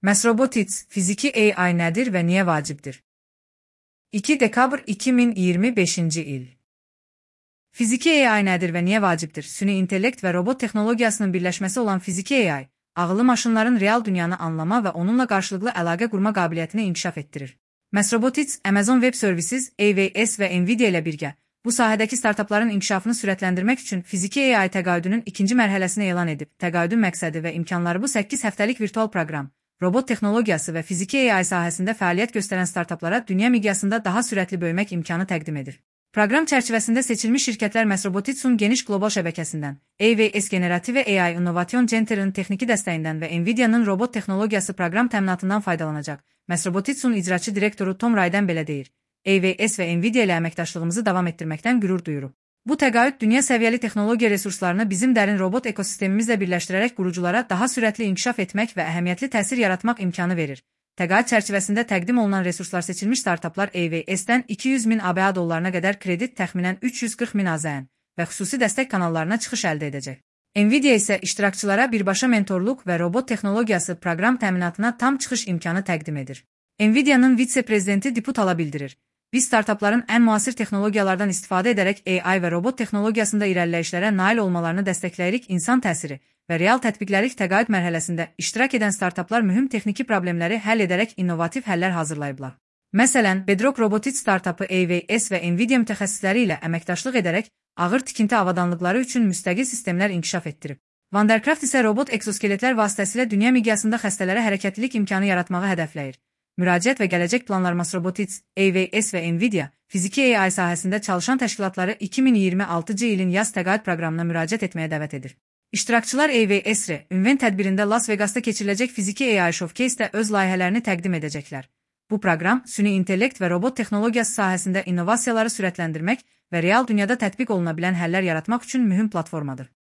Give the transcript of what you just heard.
Mesrobotics, fiziki AI nədir və niyə vacibdir? 2 dekabr 2025-ci il. Fiziki AI nədir və niyə vacibdir? Süni intellekt və robot texnologiyasının birləşməsi olan fiziki AI, ağıllı maşınların real dünyanı anlama və onunla qarşılıqlı əlaqə qurma qabiliyyətini inkişaf etdirir. Mesrobotics, Amazon Web Services, AWS və Nvidia ilə birgə bu sahədəki startapların inkişafını sürətləndirmək üçün fiziki AI təqaüdünün ikinci mərhələsini elan edib. Təqaüdün məqsədi və imkanları bu 8 həftəlik virtual proqram, robot texnologiyası və fiziki AI sahəsində fəaliyyət göstərən startaplara dünya miqyasında daha sürətli böyümək imkanı təqdim edir. Proqram çərçivəsində seçilmiş şirkətlər Mesrobotics'un geniş qlobal şəbəkəsindən, AWS Generative AI Innovation Center'ın texniki dəstəyindən və Nvidia'nın robot texnologiyası proqram təminatından faydalanacaq. Mesrobotics'un icraçı direktoru Tom Rayden belə deyir: AWS və Nvidia ilə əməkdaşlığımızı davam etdirməkdən qürur duyuruq. Bu təqaüd dünya səviyyəli texnologiya resurslarını bizim dərin robot ekosistemimizlə birləşdirərək quruculara daha sürətli inkişaf etmək və əhəmiyyətli təsir yaratmaq imkanı verir. Təqaüd çərçivəsində təqdim olunan resurslar seçilmiş startaplar AWS-dən 200.000 ABA dollarına qədər kredit, təxminən 340.000 AZN və xüsusi dəstək kanallarına çıxış əldə edəcək. Nvidia isə iştirakçılara birbaşa mentorluq və robot texnologiyası proqram təminatına tam çıxış imkanı təqdim edir. Nvidia'nın vitse-prezidenti Diputala bildirir: Biz startapların ən müasir texnologiyalardan istifadə edərək AI və robot texnologiyasında irəliləyişlərə nail olmalarını dəstəkləyirik. İnsan təsiri və real tətbiqləri təqaüd mərhələsində iştirak edən startaplar mühüm texniki problemləri həll edərək innovativ həllər hazırlayıblar. Məsələn, Bedrock Robotics startapı AWS və Nvidia mütəxəssisləri ilə əməkdaşlıq edərək ağır tikinti avadanlıqları üçün müstəqil sistemlər inkişaf etdirib. Vandercraft isə robot ekzoskeletlər vasitəsilə dünya miqyasında xəstələrə hərəkətlilik imkanı yaratmağı hədəfləyir. Müraciət və gələcək planlar Mesrobotics, AWS və Nvidia, fiziki AI sahəsində çalışan təşkilatları 2026-cı ilin yaz təqaüd proqramına müraciət etməyə dəvət edir. İştirakçılar AWS-RE ünvan tədbirində Las Vegasda keçiriləcək fiziki AI Showcase-də öz layihələrini təqdim edəcəklər. Bu proqram, süni intellekt və robot texnologiyası sahəsində innovasiyaları sürətləndirmək və real dünyada tətbiq oluna bilən həllər yaratmaq üçün mühüm platformadır.